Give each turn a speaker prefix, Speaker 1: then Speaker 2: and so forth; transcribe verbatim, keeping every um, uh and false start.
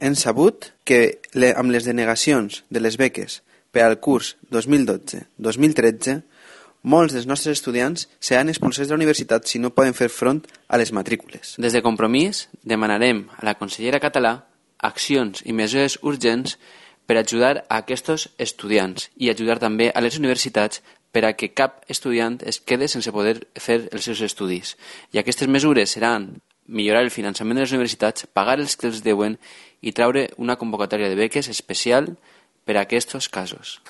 Speaker 1: hem sabut que le, amb les denegacions de les beques per al curs dos mil dotze dos mil tretze, molts dels nostres estudiants seran expulsats de la universitat si no poden fer front a les matrícules.
Speaker 2: Des de Compromís demanarem a la consellera Català accions i mesures urgents per ajudar a aquests estudiants i ajudar també a les universitats per a que cap estudiant es quede sense poder fer els seus estudis. I aquestes mesures seran millorar el finançament de les universitats, pagar els que els deuen i treure una convocatòria de beques especial per a aquests casos.